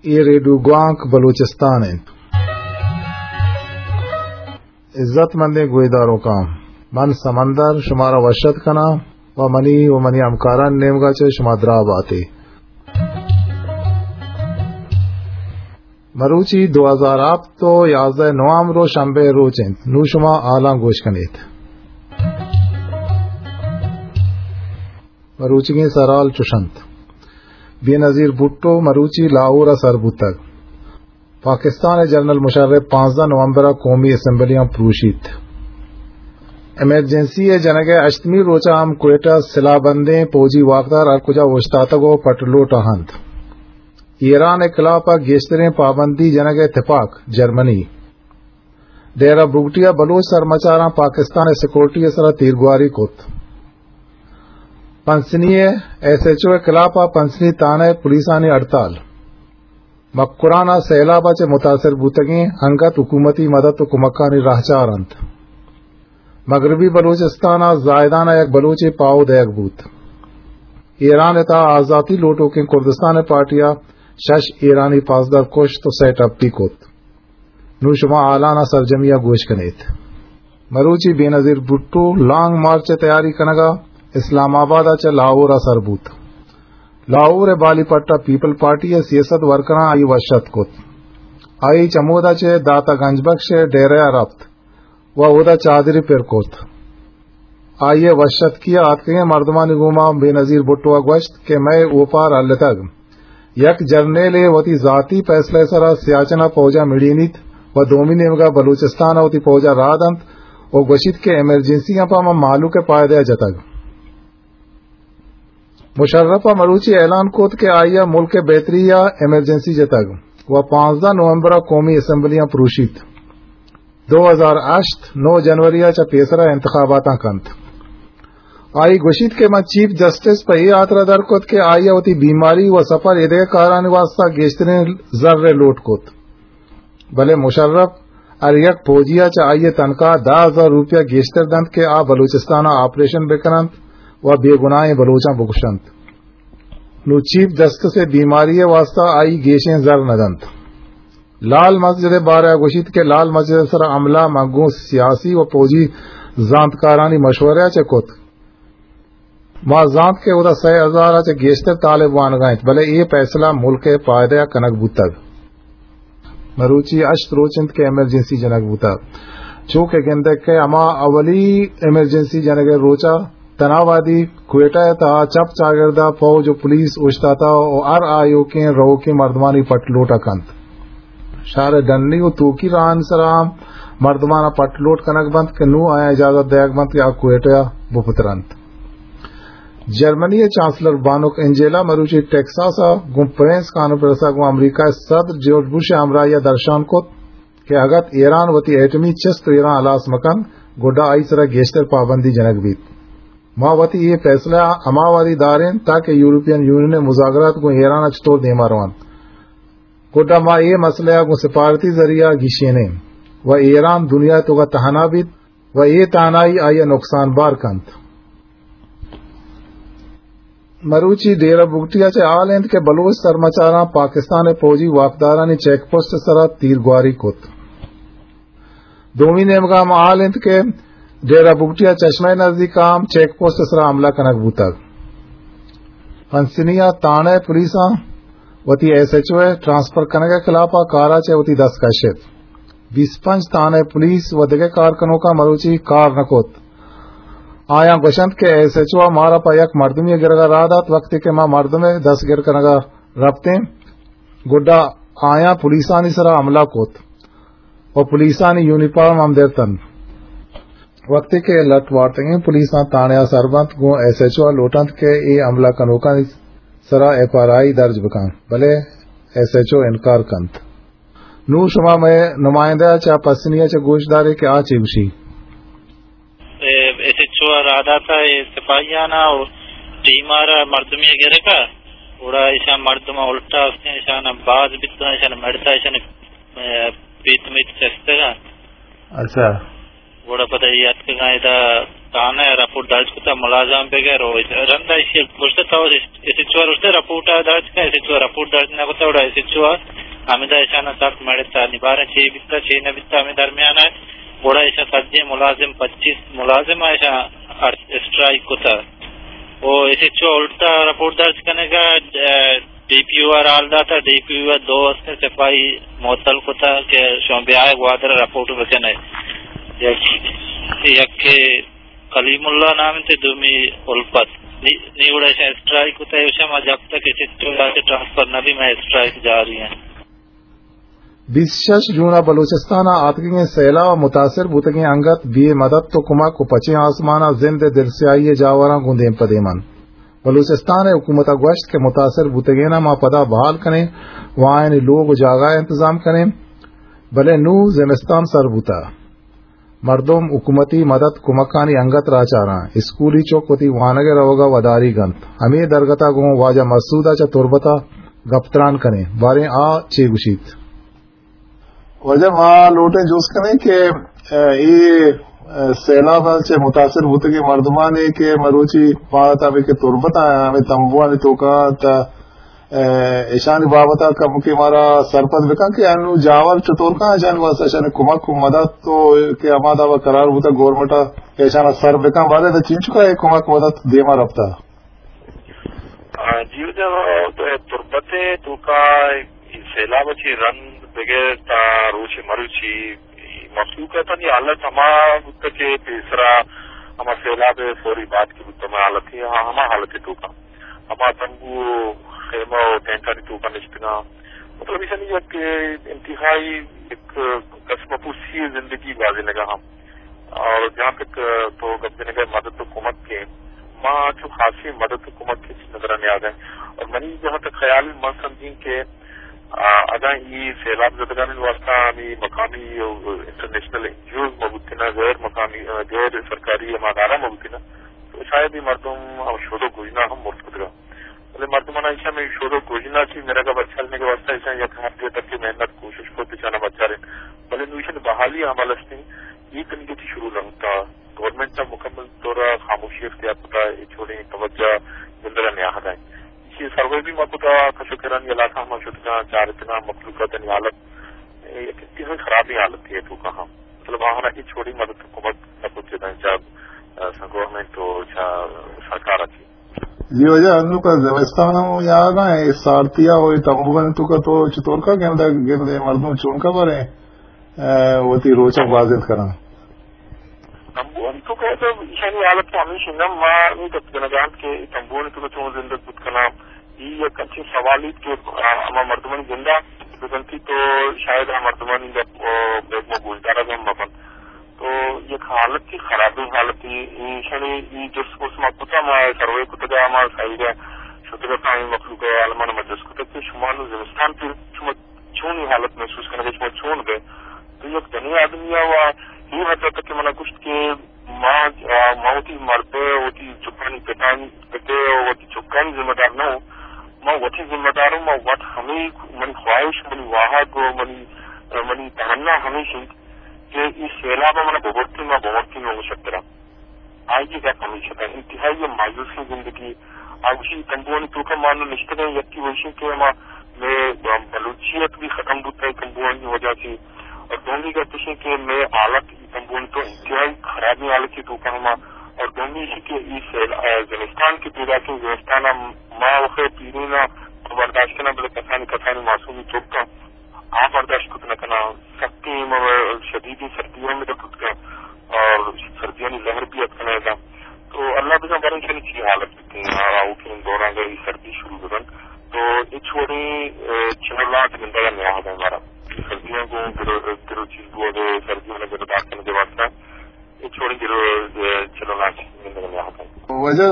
اے ریڈیو گوانک بلوچستان انت۔ عزت مندیں گویداروکاں، من سمندر شمارا وش اتک کناں و منی و منی ہمکارانی نیمگا چہ شما دراہ باتے۔ مروچی دو ہزار ہپت و یازدہ نوامبر و شنبے روچ انت۔ نوں شما حالاں گوش کنیت۔ مروچیگیں سرحال چوش انت۔ بے نظیر بھٹو مروچی لاہور ء سر بوتگ۔ پاکستان ء جنرل مشرف پانزدہ نومبر ء قومی اسمبلیاں پروشیت۔ ایمرجنسی ء جنگ ء ہشتمی روچ ء ہم کوئٹہ سلاہ بندیں پوجی واکدار ہر کجا اوشتاتگ و پٹ لوٹ ء انت۔ ایران ء خلاف ء گیشتریں پابندی جنگ ء تپاک جرمنی۔ ڈیرہ بگٹی ء بلوچ سرمچاراں پاکستان ء سیکورٹی ء سرا تیرگواری کت۔ پنسنی ء ایس ایچ او ء خلاف ء پنسنی تھانہ ء پولیسانی ہڑتال۔ مکران ء سیلاب ء چہ متاثر بوتگیں انگت حکومتی مدد و کمکانی راہچار انت۔ مغربی بلوچستان ء زاہدان ء یک بلوچے پاہو دئیگ بوت۔ ایران ء تہا آزاتی لوٹوکیں کردستان ء پارٹی ء شش ایرانی پاسدار کشت و سئے ٹپی کت۔ نوں شما حالان ء سرجمی ء گوش کنیت۔ مروچی بے نظیر بھٹو لانگ مارچ ء تیاری کنگ ء اسلام آباد ء چہ لاہور ء سر بوت۔ لاہور ء بالی پٹ ء پیپل پارٹی ء سیاست ورکراں آئی وش اتک کت۔ آئی چمودا چہ داتا گنج بخش ء ڈیرہ ء رپت و اودا چادری پر کت۔ آئی ء وش اتکی ء آتکگیں مردمانی گوما بے نظیر بھٹو ء گوشت کہ مئے اوپار ہلتگ۔ یک جرنیلے وتی ذاتی پیسلہ ء سرا سیاچن ء پوج ء مڑینیت و دومی نیمگ ء بلوچستان ء وتی پوج ء راہ دنت و گوشیت کہ ایمرجنسی ء پہ ما مہلوک ء پائدہ ء جتگ۔ مشرف ء مروچی اعلان کت کہ آئی ء ملک ء بہتری ء ایمرجنسی جتگ و پانزدہ نومبر ء قومی اسمبلیاں پروشیت۔ دو ہزار ہشت نو جنوری ء چہ پیسرا انتخاباتاں کنت۔ آئی گوشیت کہ من چیف جسٹس پہ اے ہاترا در کت کہ آئی ء وتی بیماری و سفر ایدگہ کارانی واسطہ گیشتریں زر ء لوٹ کت، بلے مشرف ہر یک پوجی ء چہ آئی ء تنخواہ دہ ہزار روپیہ گیشتر دنت کہ آ بلوچستان ء آپریشن بکننت و بے گناہیں بلوچاں بکشنت۔ نوں چیف جسٹس ء بیماری ء واسطہ آئی گیشیں زر نہ دنت۔ لال مسجد ء بارہ ء گوشیت کہ لال مسجد ء سرا حملہ من گوں سیاسی و پوجی زانتکارانی مشورہ ء چہ کت۔ ما زانت کہ اودا سئے ہزار ء چہ گیشتر طالب وانگا انت، بلے اے پیسلہ ملک ء پائدہ ء کنگ بوتگ۔ مروچی ہشت روچ انت کہ ایمرجنسی جنگ بوتگ۔ چو کہ گندگ کہ ہما اولی ایمرجنسی جنگ ء روچ ء تھنا وہدی کوئٹہ ء تہا چپ چاگرد ء پوج و پولیس اوشتاتہ و ہر آیوکیں روکیں مردمانی پٹ لوٹ ء کنت۔ شہر ء ڈنی و توکی راہانی سرا ہم مردمان ء پٹ لوٹ کنگ بنت کہ نوں آیاں اجازت دئیگ بنت کہ آ کوئٹہ ء بپترنت۔ جرمنی ء چانسلر بانک انجیلا مروچی ٹیکساس ء گوں پرنس کانفرنس ء گوں امریکہ ء صدر جارج بش ء ہمراہی ء درشان کت کہ اگت ایران وتی ایٹمی چست و ایراں ہلاس مکنت، گڈا آئی سرا گیشتر پابندی جنگ بیت۔ ما وتی اے فیصلہ ء ہما وہدی داریں تاکہ یورپین یونین ء مذاکرات گوں ایران ء چطور دیما روانت۔ گڈا ما اے مسئلہ ء گوں سفارتی ذریعہ ء گیشینیں و ایران دنیا ء توکا تہنا بیت و اے تہنائی آئی ء نقصان بار کنت۔ مروچی ڈیرہ بگٹی ء چہ حال انت کہ بلوچ سرمچاراں پاکستان ء فوجی واکدارانی چیک پوسٹ ء سرا تیرگواری کت۔ دومی نیمگا ہم حال انت کہ ڈیرہ بگٹی ء چشمہ ء نزدیک ء ہم چیک پوسٹ ء سرا حملہ کنگ بوتگ۔ پنسنی ء تھانہ ء پولیساں وتی ایس ایچ او ء ٹرانسفر کنگ ء خلاف ء کار ء چہ وتی دست کشت۔ بیست پنچ تھانہ ء پولیس و دگہ کارکنوکاں مروچی کار نہ کت۔ آیاں گوشنت کہ ایس ایچ او ء مارا پہ یک مردمی ء گرگ ء راہ دات، وقتی کہ ما مردم ء دست گر کنگ ء رپتیں، گڈا آیاں پولیسانی سرا حملہ کت و پولیسانی یونیفارم ہم درتنت۔ وقتی کہ لٹ وارتگیں پولیساں تھانہ ء سر بنت، گوں ایس ایچ او ء لوٹنت کہ اے حملہ کنوکانی سرا ایف آئی آر درج بکنت، بلے ایس ایچ او انکار کنت۔ نوں شما مئے نمائندہ ء چہ پسنی ء چہ گوش دارے کہ آ چے گوشی۔ اے ایس ایچ او ء راہ داتہ اے سپاہیان ء و ٹیم ء را مردمی ء گرگ ء، گڑا ایشاں مردم ء الٹا استیں، ایشان ء باز بیتگ، ایشان ء مڑتہ، ایشان ء، اے، پیت میت چستگ ء۔ اچھا۔ گڑا پدا اے اتکگاں ادا تھانہ ءَ رپورٹ درج کتہ ملازم بغیر، او رند ءَ ایشی گوشتہ تو ایس ایچ او ءَ گوشتہ رپورٹ ءَ درج کن، ایس ایچ او ءَ رپورٹ درج نہ کتہ، گڑا ایس ایچ او ءَ ہمدا ایشاں سک مڑتہ، نی باریں چے بیتہ چے نہ بیتہ ہمے درمیان ءَ، گڑا ایشاں سجیں ملازم، پچیس ملازم ایشاں اسٹرائیک کتہ۔ او ایس ایچ او الٹا رپورٹ درج کنگا، ڈی پی او ءَ را حال داتہ، ڈی پی او ءَ دو ہستیں سپاہی معطل کتہ کہ شما بیائے گوادر ءَ رپورٹ بکنے۔ یک، یکے کلیم اللہ نام انت، دومی الفت۔ نی، نی گڑا ایشاں اسٹرائیک کتہ، ایشاں ما جب تک ایس ایچ او ءَ ٹرانسفر نہ بی، مئے اسٹرائیک جاری ہیں۔ بیست شش جون ءَ بلوچستان ءَ آتکگیں سیلاب ءَ متاثر بوتگیں انگت بے مدد ءُ کمک ءُ پچیں آسمان ءَ زند ءِ دلسیاہی ءِ جاوراں گوں دیم پہ دیم انت۔ بلوچستان ءِ حکومت ءَ گوشت کہ متاثر بوتگیناں ما پدا بحال کنیں ءُ آیانی لوگ ءُ جاگہ ءِ انتظام کنیں، بلے نوں زمستان سر بوتہ۔ مردم حکومتی مدد کمکانی انگت راہ چاراں۔ اسکولی چک وتی وانگ ءِ روگ ءَ وداریگ انت۔ ہمے درگت ءَ گوں واجہ مسعود ءَ چہ تربت ءَ گپ تران کنیں۔ باریں آ چے گوشیت؟ واجہ ما لوٹیں جست کنیں کہ، ءَ، اے، ءَ، سیلاب ءَ چہ متاثر بوتگیں مردمانے کہ مروچی ما تابع کہ تربت ءَ ہمے تمبوانی توکا انت، ءَ، ایشانی بابت ءَ کمکے مارا سرپد بکن کہ انو جاور چطور کن، ایشانی واسطہ ایشانی کمک ءُ مدد تو کہ ہما دابا قرار بوتا گورنمنٹ ءَ کہ ایشانا سر بکن، بارے تو چینچکا اے کمک مدد دیما رفتا؟ آ، جی واجہ، تربت ءِ توکا اے سیلاب ءَ چہ رند بگر تا روچ مروچی مخلوق ءِ تنی حالت ہما بوتا کہ پیسرا ہما سیلاب ءِ فوری بعد کہ بوتا ہما حالت ءَ، ہما حالت ءِ توکا ہما تمبو ءُ خیمہ ءُ ٹینٹانی توکا نشتگاں۔ مطلب ایشانی یک انتہائی یک کشمکشی زندگی گوازینگا ہم۔ اور جہاں تک تو گپ جنگا مدد ءُ کمک کے، ما چو خاصی مدد ءُ کمک کے نظر نیاگ ہیں۔ اور منی جہاں تک خیال، من سمجھیں کہ، آ، اگاں ای سیلاب زدگانی واسطہ ہمیں مقامی اور انٹرنیشنل این جی اوز مبوتنا، غیر مقامی، آ، غیر سرکاری ہما ادارہ مبوتنا، تو شاید اے مردم ہم شد ءُ گژنا ہم مرت کتگا۔ بلے مردماں ایشاں ہمے شد ءُ گژنا چہ مرگ ءَ بچارینگ ءِ واستہ ایشاں یک حدے تک کہ محنت کوشش کت ایشاں بچارین۔ بلے نوں ایشانی بحالی عمل است ایں، اے تنیگہ چہ شروع نہ بوتا۔ گورنمنٹ ءَ مکمل طور ءَ خاموشی اختیار کتا، ہچ وڑیں توجہ گندگ ءَ نیاہگ ءَ۔ ایشی سروے بھی ما کتا، کش ءُ کرانی علاقہ ما شتگاں، چارتگاں مخلوقاتانی حالت، اے یک انتہائی خرابیں حالتے ءِ توکا ہاں۔ مطلب آہانا ہچ وڑیں مدد ءُ کمک نہ کت جتاں چہ، آ، گورنمنٹ ءُ چہ سرکار ءَ چہ۔ جی واجہ، انوکا زمستان ہم یاد آئے، اے سارتیا ءُ اے تمبوانی توکا تو چطور کا گندے، گندے مردم چون کا بارے، آ، وتی روچ ءَ گوازینت کناں؟ تمبوانی توکا تو ایشانی حالت تو ہمیش انت، ما نی گپ جنگا انت کہ اے تمبوانی توکا چون زندگ بوت کناں۔ اے یک انچیں سوالے کہ، آ، ہما مردمانی جندا بزنتی تو شاید آ مردمانی گپ، آ، بیگ ما گوشدارگ ہم مہ بنت۔ تو یک حالتے، خرابیں حالتے، ایشانی ای جست پرس ما کتا، ما سروے کتگا، ما سائیڈا شتگا، ہمے مخلوق ءِ عالمان ما جست کتگ کہ شما نوں زمستان پہ شما چونیں حالت محسوس کنگے، شما چون بے؟ تو یک جنیں آدمی ءَ و ای حد تک کہ منا گوشت کہ ما، آ، ما وتی مرد ءِ، وتی چکانی پتانی، پت ءِ و وتی چکانی ذمہ دار نہ اوں، ما وتی ذمہ دار اوں، ما وت ہمے منی خواہش، منی واہگ و منی، منی تمنا ہمیش انت کہ اے سیلاب ءَ منا ببرتیں، ما بمرتیں، ما مشکل ءَ۔ آئی ءِ گپ ہمیش اتاں، انتہائی مایوسیں زندگی۔ آ گوشی، تمبوانی توکا ما نوں نشتگیں، یکی وشیں کہ ہما مئے بلوچیت بھی ختم بوتا ہے تمبوانی وجہ سے۔ اور دومی گپ اشیں کہ مئے حالت تمبوانی تو انتہائی خرابیں حالتے توکا ہما۔ اور دومی اشی کہ ای سیل-، آ، زمستان کے پیدا کے زمستان ہم ما وخے پیرین برداشت کناں، بلے کسانی کسانی معصومی توکا آ برداشت کت نہ کناں۔ سختیں م-، شدیدیں سردی ہم ادا کت کن اور سردیانی لہر بھی اتکن ادا۔ تو اللہ بزاں باریں چنی چی حالت بیتیں، آ، آؤکیں دوران اگہ ای سردی شروع ببنت تو ہچ وڑیں، اے، چلو لاٹ گندگا نیاہگ مارا۔ سردیاں گوں گرو، گرو چیز بوگ ء، سردیاں گرو دار کنگ ء واسطہ۔ اے چوڑیں گرو، اے، چلو ناچ نندگ نیاہتاں۔ واجہ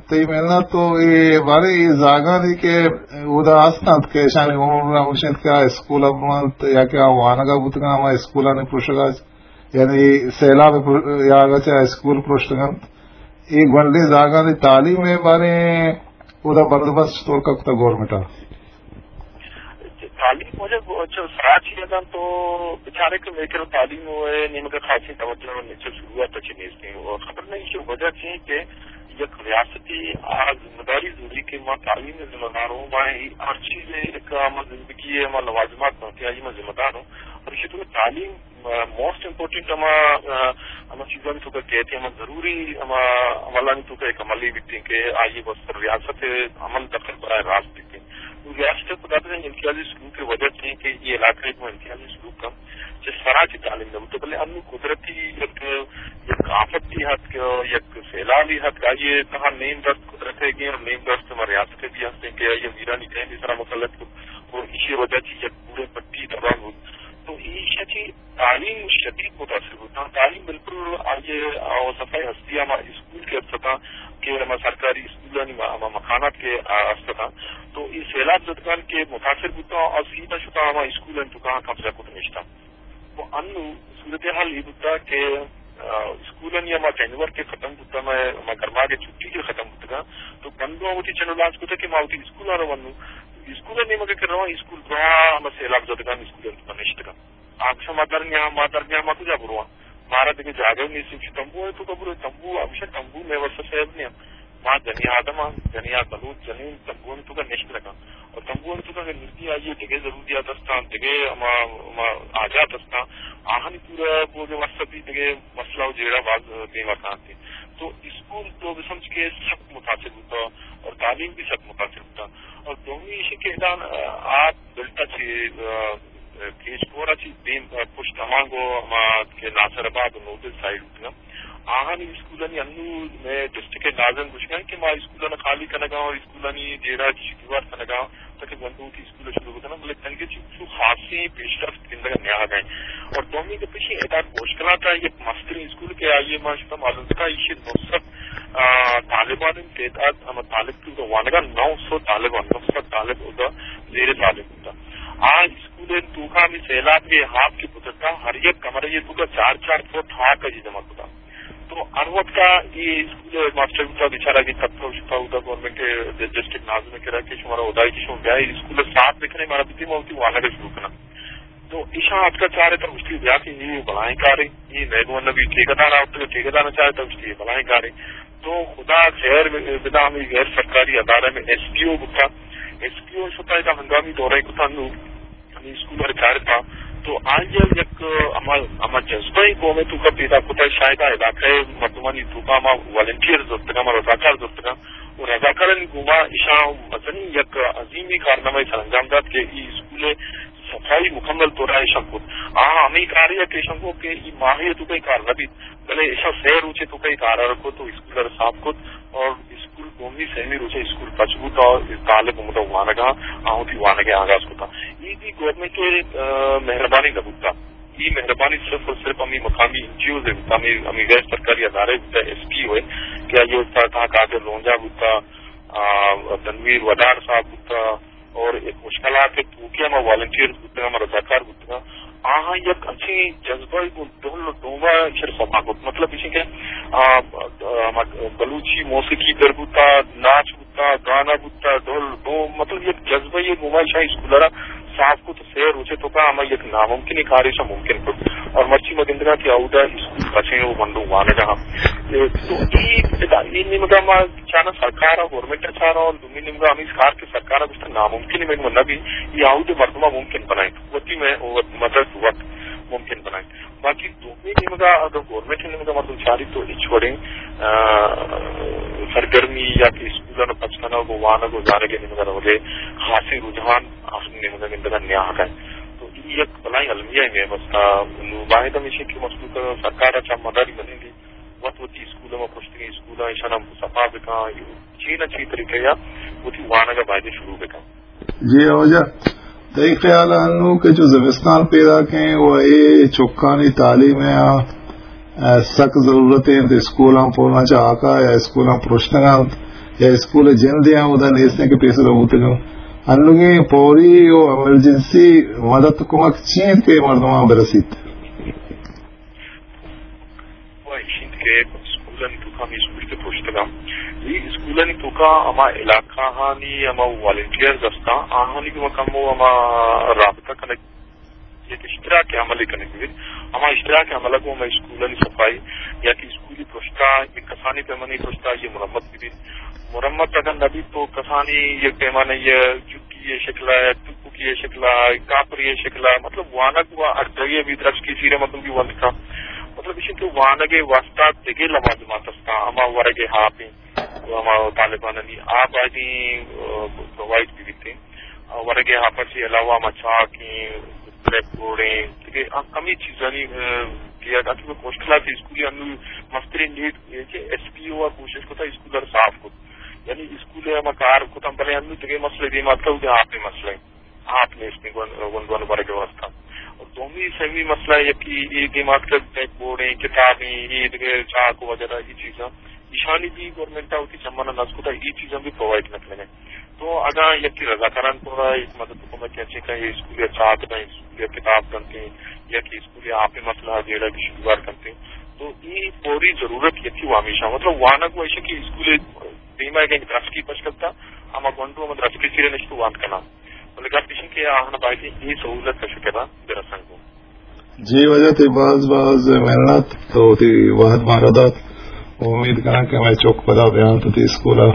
تئی منت تو اے بارے اے زاگانی کہ اودا ہست انت کہ اشانی عمر ہمیش انت کہ آ اسکول ء بنت یا کہ آ وانگ ء بوتگ انت، ہما اسکولانی پروشگ ء، یعنی سیلاب ء پر-، یا اگہ چہ اسکول پروشتگ انت۔ اے گونڈیں زاگانی تعلیم ء بارے اودا بندوبست چطور کپتگ گورنمنٹ ء؟ تعلیم واجہ سراچی اگاں تو بچارے کہ مئے کرا تعلیم ءِ نیمگ ءَ خاصیں توجہ ءُ نچل شروعات ءَ چہ نیست ایں۔ ءُ خبر نہ ایشی وجہ چی ایں کہ یک ریاستی آ ذمہ داری زوری کہ ما تعلیم ءِ ذمہ دار اوں، ما اے ہر چیز ءِ یک ہما زندگی ءِ ہما لوازمات بنت کہ آئی ما ذمہ دار اوں۔ اور ایشی تو تعلیم، آ، موسٹ امپورٹنٹ ہما، آ، ہما چیزانی توکا کیت، ہما ضروری ہما عملانی توکا یک عملے بیت کہ آئی ءِ بس ریاست ءِ عمل دخل براہ راست بیت۔ نوں ریاست ءِ خدا بزاں امتیازی سلوک ءِ وجہ چی ایں کہ اے علاقہ ءَ گوں امتیازی سلوک ہم چہ سرا چہ تعلیم نہ بوتگ، بلے انوں قدرتی یک، یک آفتے اتک، یک سیلابے اتک، آئی ءِ تہا نیم دست قدرت ءِ گیں اور نیم دست ہما ریاست ءِ بھی ہست ایں کہ آئی ءَ ویرانی ٹہنے سرا مسلط کت اور ایشی ءِ وجہ چہ یک پوریں پٹی تباہ بوت۔ تو ایشی ءَ چہ تعلیم شدید متاثر بوتاں۔ تعلیم بالکل آئی ءِ، آ، صفحہ ہستی ہما اسکول کہ است اتاں کہ ہما سرکاری اسکولانی ما-، ہما مکانات کہ، آ، است اتاں، تو اے سیلاب زدگان کہ متاثر بوتاں اور سیدھا شتاں ہما اسکولانی توکا قبضہ کت نشتاں۔ تو انوں صورتحال اے بوتا کہ، آ، اسکولانی ہما ٹینور کہ ختم بوتا، ہما، ہما گرماگ ءِ چھٹی کہ ختم بوتگاں، تو بندو وتی چنو لانچ کتا کہ ما وتی اسکولاں رواں۔ نوں اسکول ءِ نیمگ ءَ کہ رواں، اسکول دراہ ہما سیلاب زدگان اسکولانی توکا نشتگاں۔ آ گوشاں، ما درنیاں، ما درنیاں، ما کجا برواں؟ مارا دگہ جاگہ نیست، چہ تمبو ءِ توکا برو، تمبو، آ گوشاں، تمبو مئے واسطہ سیف نیاں۔ ما جنیں آدم آں، جنیں آ بلوچ جنین تمبو ءِ توکا نشت نہ کن۔ اور تمبو ءِ توکا کہ نزدی آئی ءَ دگہ ضروریات استاں، دگہ ہما، ہما حاجات استاں، آہانی پورا بوگ ءِ واسطہ بھی دگہ مسئلہ ءُ جیڑہ باز دیما کاینت۔ تو اسکول تو بسمجھ کہ سخت متاثر بوتا اور تعلیم بھی سخت متاثر بوتا۔ اور دومی ایشی کہ ادا، آ، آپ دلتا چہ، آ، کیچ کور ءَ چہ دیم، آ، پشت ہمانگو ہما کہ ناصر آباد ءُ نودل سائیڈ بوتگاں۔ آہانی اسکولانی انوں مئے ڈسٹرکٹ ءِ ناظم گوشگاں کہ ما اسکولانی خالی کنگا اور اسکولانی جیڑہ چہ دیوار کنگا تاکہ گونڈو وتی اسکول شروع بکناں، بلے تنگے چہ چو خاصیں پیشرفت گندگا نیاہگا ایں۔ اور دومی گپ ایشی ادا کوشکلات ءَ یک مستریں اسکول کہ آئی ءِ ما شما معلوم بوتا ایشی نو سد، آ، طالبانی تعداد، ہما طالب کہ وانگا نو سد طالب، نو سد طالب ادا زیر تعلیم بوتا۔ آ اسکول ءِ توکا ہمے سیلاب ءِ آپ کہ پترتا، ہر یک کمرہ ءِ توکا چار چار فٹ ہاک ءَ جمع کتا۔ تو ہر وقت ءَ اے اسکول ءِ ماسٹر بوتا، بیچارہ کہ تپتا شتا اودا گورنمنٹ ءِ ڈسٹرکٹ ناظم ءِ کرا کہ شمارا ہدائی کہ شما بیائے اسکول ءَ صاف بکنے، مارا بدے ما وتی وانگ ءَ شروع کناں۔ تو ایشاں اتکا چارتا گوشتی بیا کہ اے بلائیں کارے، اے نئے گون نبی ٹھیکیدار آورتگ، ٹھیکیدار چارتا گوشتی اے بلائیں کارے۔ تو خدا خیر بدہ ہمے غیر سرکاری ادارہ میں ایس پی او بوتا، ایس پی او شتا ادا ہنگامی دورہ کتا نوں ہمے اسکول ءَ چارتا، تو آئی ءَ یک ہما، ہما جذبہ ءَ قوم ءِ توکا پیدا کتا، شاید آ علاقہ ءِ مردمانی توکا ہما والنٹیئر زرتگاں، ہما رضاکار زرتگاں، و رضاکارانی گوما ایشاں مزنیں یک عظیمی کارنامہ سرانجام دات کہ ای اسکول ءِ صفائی مکمل طور ءَ ایشاں کت۔ آ ہمے کارے کہ ایشاں کو کہ ای ماہے توکا ای کار نہ بیت، بلے ایشاں سہ روچے توکا ای کار ءَ کت و اسکول ءَ صاف کت اور اسکول دومی سیمی روچ ءَ اسکول پچ بوت اور طالب ہمودا وانگ ءَ، آ وتی وانگ ءِ آغاز کتا۔ ای بھی گورنمنٹ ءِ، آ، مہربانی نہ بوتا۔ ای مہربانی صرف اور صرف ہمے مقامی این جی اوز ءِ بوتا، ہمے، ہمے غیر سرکاری ادارہ بوتا، ایس پی او ءِ، کہ آئی ءِ استاد تہا قادر رونجا بوتا، آ، تنویر ودار صاحب بوتا، اور ایک مشکلات ءِ توکے ہما والنٹیئرز بوتگاں، ہما رضاکار بوتگاں، آہاں یک انچیں جذبہ ءَ گوں ڈول و ڈوما ایشر سما کت۔ مطلب ایشی کہ، آ، آ، ہما بلوچی موسیقی در بوتا، ناچ بوتا، گانا بوتا، ڈول ڈوم، مطلب یک جذبہ ءَ گوما ایشاں اسکول ءَ را صاف کت، سہ روچے توکا ہما یک ناممکن کارے ایشاں ممکن کت۔ اور مرچی ما گندگا کہ اودا اسکول بچیں و گونڈو وانگا ہم۔ اے، تو ای، ادا، ای نیمگا ما چانا سرکار ءَ، گورنمنٹ ءَ چانا، اور دومی نیمگا ہمے کار کہ سرکار ءَ گوشتہ ناممکن ءَ من نہ بی، ای آؤد مردماں ممکن بنائیں، وتی میں مدد وت ممکن بنائیں۔ باقی دومی نیمگا اگر گورنمنٹ نیمگا مردم چاری تو ہچ وڑیں، آ، سرگرمی یا کہ اسکولان پچ کنگ و وانگ و زانگ نیمگا روگے خاصیں رجحان آسن نیمگا گندگا نیاہگ ہے۔ تو ای یک بلائیں المیہ میں بستا، نو باید ہمیشہ کہ مسلوک سرکار ءَ چا مداری بنیں گے۔ وت وتی اسکول ءَ، ما پرشتگیں اسکول ءَ ایشان ہم صفا بکن، چی نہ چی طریقہ یا وتی وانگ ءَ بایدیں شروع بکن۔ جی واجہ، تئی خیال ءَ انوں کہ چو زمستان پیداک ایں و اے چکانی تعلیم ءَ، آ، سک ضرورت انت، اسکولاں پولاں چہ ہاکا یا اسکولاں پرشتگ انت یا اسکول جند ءَ اودا نیست انت کہ پیسر بوتگ انت۔ انوگیں پوری و ایمرجنسی مدد کمک چی انت کہ مردماں برسیت؟ و ایش انت کہ اسکولانی توکا ہمے اسکول کہ پرشتگاں، اے اسکولانی توکا ہما علاقہ ہانی ہما والنٹیئرز ہستاں، آہانی گوما کمو ہما رابطہ کنگ یک اشتراک عملی کنگ بیت۔ ہما اشتراک عمل گوں ہمے اسکولانی صفائی یا کہ اسکولی پرشتہ، یک کسانی پیمانی پرشتہ یہ مرمت بیت۔ مرمت اگر نہ بیت تو کسانی یہ پیمانے یہ جکی یہ شکل ہے، ٹپکی یہ شکل ہے، کاپری یہ شکل ہے، مطلب وانگ و اڈگی بھی درس کی سیرے مطلب بھی وانگ کا۔ مطلب اسی کہ وانگ واسطہ دگے لوازمات ہستا، ہما ورگ ہاپیں، ہما طالبانانی آپ آدی، آ، پرووائیڈ بھی بیتے۔ آ، ورگ ہاپر سے علاوہ ہما چاکیں، بلیک بورڈیں، ٹھیک ہے، ہم-، ہمیں چیزانی، آ، کیا تاکہ وہ مشکلات اسکولی انو مسترین نیڈ یہ کہ ایس پی او کوشش کو تھا اسکول اور صاف کو، یعنی اسکول ہم کار کو تھا، بلے انو تک مسئلے دی مات کا، آپ مسئلے آپ نے اس میں گون، گون، گون ورگ واسطہ۔ اور دومی سیمی مسئلہ یہ کہ یہ دی مات کا بلیک بورڈیں، کتابیں، یہ دگہ چاک وغیرہ یہ چیزاں، ایشانی بھی گورنمنٹ ہوتی چمانا نس کو تھا، یہ چیزاں بھی پرووائیڈ نہ کرنے۔ تو اگاں یکے رضاکاران پورا یک مدد کمک کیچیں کہ یہ اسکول یا چاک داں، اسکول یا کتاب کنتے، یا کہ اسکول یا آپ مسئلہ جیڑا بھی شروع کنتے، تو یہ فوری ضرورت یکے و ہمیشہ، مطلب وانگ و ایشی کہ اسکول دیما گئے درس کی پش کرتا، ہما گونڈو ہم درس کی سیرے نشتو وانت کنا۔ بلے گپ ایشی کہ آہنا باید یہ سہولت کا شکرا برسن کو۔ جی واجہ، تئی باز باز محنت، تو تئی وہد مارا دات۔ امید کناں کہ ہمے چک پدا بیان تو تئی اسکول ء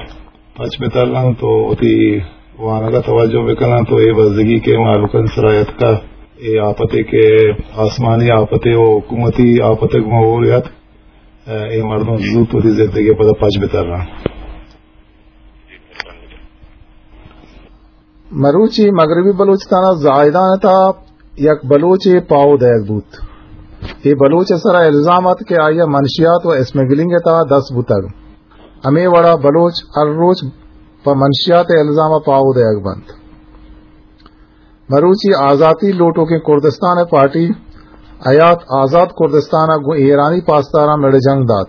پچ بہ تران تو وتی وانگ ء توجہ بہ کناں تو اے بزگی کہ مہلوک ء سرا اتکا، اے آپتے کہ آسمانی آپتے و حکومتی آپتے گوں ہور اتک، اے مردم زوت وتی زندگی ء پدا پچ بہ تران۔ مروچی مغربی بلوچستان ء زاہدان ء تہا یک بلوچے پاہو دئیگ بوت۔ اے بلوچ ء سرا الزام ات کہ آئی ء منشیات و اسمگلنگ ء تہا دست بوتگ۔ ہمے وڑا بلوچ ہر روچ پہ منشیات ء الزام ء پاہو دئیگ بنت۔ مروچی آزاتی لوٹوکیں کردستان ء پارٹی حیات آزاد کردستان ء گوں ایرانی پاسداراں مڑ جنگ دات۔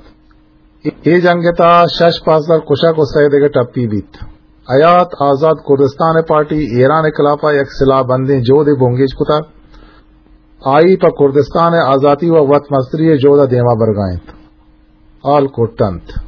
اے جنگ ء تہا شش پاسدار کشگ و سئے دگہ ٹپی بیت۔ حیات آزاد کردستان ء پارٹی ایران ء خلاف ء یک سلاہ بندیں جہدے بنگیج کتگ۔ آئی پہ کردستان ء آزاتی و وت مستری ء جہد ء دیما برگا انت۔ آل کٹ انت۔